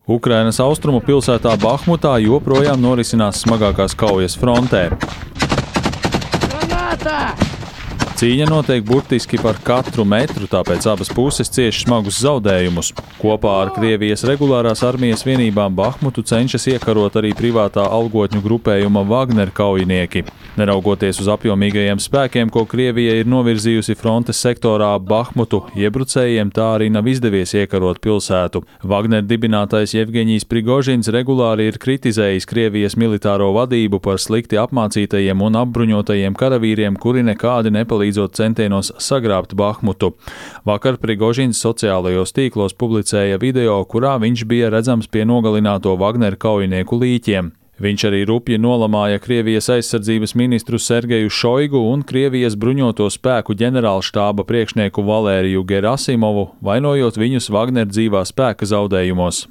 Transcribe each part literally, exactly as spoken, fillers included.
Ukrainas austrumu pilsētā Bahmutā joprojām norisinās smagākās kaujas frontē. Granāta! Cīņa notiek burtiski par katru metru, tāpēc abas puses cieš smagus zaudējumus. Kopā ar Krievijas regulārās armijas vienībām Bahmutu cenšas iekarot arī privātā algotņu grupējuma Wagner kaujinieki. Neraugoties uz apjomīgajiem spēkiem, ko Krievija ir novirzījusi frontes sektorā Bahmutu, iebrucējiem tā arī nav izdevies iekarot pilsētu. Wagner dibinātais Jevgeņijs Prigožins regulāri ir kritizējis Krievijas militāro vadību par slikti apmācītajiem un apbruņotajiem karavīriem, kuri nekādi nepalīdzot centienos sagrābt Bahmutu. Vakar Prigožins sociālajos tīklos publicēja video, kurā viņš bija redzams pie nogalināto Wagner kaujinieku līķiem. Viņš arī rupji nolamāja Krievijas aizsardzības ministru Sergeju Šoigu un Krievijas bruņoto spēku ģenerālštāba priekšnieku Valēriju Gerasimovu, vainojot viņus Wagner dzīvā spēka zaudējumos.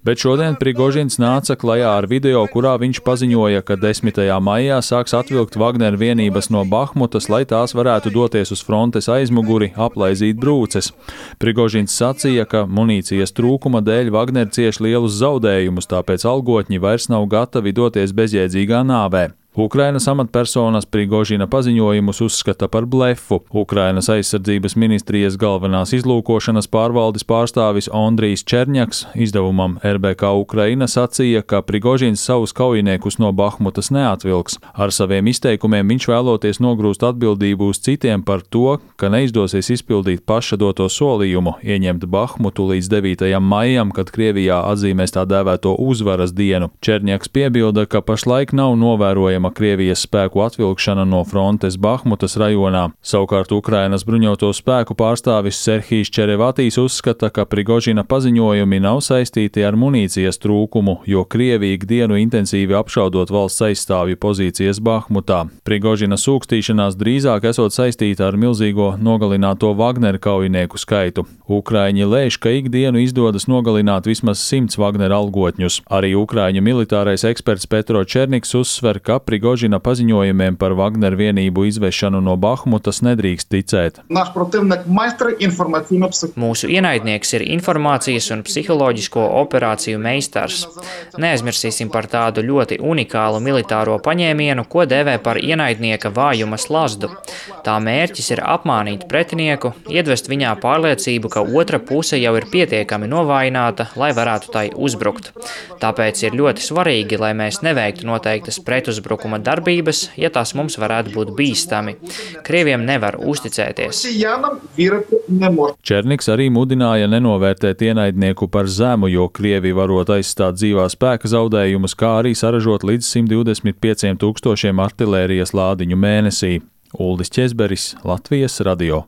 Bet šodien Prigožins nāca klajā ar video, kurā viņš paziņoja, ka desmitajā maijā sāks atvilkt Wagner vienības no Bahmutas, lai tās varētu doties uz frontes aizmuguri, aplaizīt brūces. Prigožins sacīja, ka munīcijas trūkuma dēļ Wagner cieš lielus zaudējumus, tāpēc algotņi vairs nav gatavi doties bezjēdzīgā nāvē. Ukrainas amatpersonas Prigožina paziņojumus uzskata par blefu. Ukrainas aizsardzības ministrijas galvenās izlūkošanas pārvaldes pārstāvis Ondrijs Čerņaks izdevumam R B K Ukraina sacīja, ka Prigožins savus kaujiniekus no Bahmutas neatvilks. Ar saviem izteikumiem viņš vēloties nogrūst atbildību uz citiem par to, ka neizdosies izpildīt paša doto solījumu ieņemt Bahmutu līdz devītajam maijam, kad Krievijā atzīmēs tā dēvēto uzvaras dienu. Čerņaks piebilda, ka pašlaik nav novērojama Krievijas spēku atvilkšana no frontes Bahmutas rajonā. Savukārt Ukrainas bruņoto spēku pārstāvis Serhijs Čerevatīs uzskata, ka Prigožina paziņojumi nav saistīti ar munīcijas trūkumu, jo Krievija ikdienu intensīvi apšaudot valsts aizstāvju pozīcijas Bahmutā. Prigožina sūkstīšanās drīzāk esot saistīta ar milzīgo nogalināto Wagner kaujinieku skaitu. Ukraiņi lēš, ka ikdienu izdodas nogalināt vismaz simts Wagner algotņus. Arī ukraiņu militārais eksperts Petro Černiks uzsver, ka Prigožina paziņojumiem par Wagner vienību izvešanu no Bahmutas nedrīkst ticēt. Mūsu ienaidnieks ir informācijas un psiholoģisko operāciju meistars. Neaizmirsīsim par tādu ļoti unikālu militāro paņēmienu, ko dēvē par ienaidnieka vājuma slazdu. Tā mērķis ir apmānīt pretinieku, iedvest viņā pārliecību, ka otra puse jau ir pietiekami novājināta, lai varētu tai uzbrukt. Tāpēc ir ļoti svarīgi, lai mēs neveiktu noteiktas pretuzbrukuma darbības, ja tās mums varētu būt bīstami. Krieviem nevar uzticēties. Černiks arī mudināja nenovērtēt ienaidnieku par zemu, jo Krievi varot aizstāt dzīvā spēka zaudējumus, kā arī saražot līdz simt divdesmit pieciem tūkstošiem artilērijas lādiņu mēnesī. Uldis Ķezberis, Latvijas radio.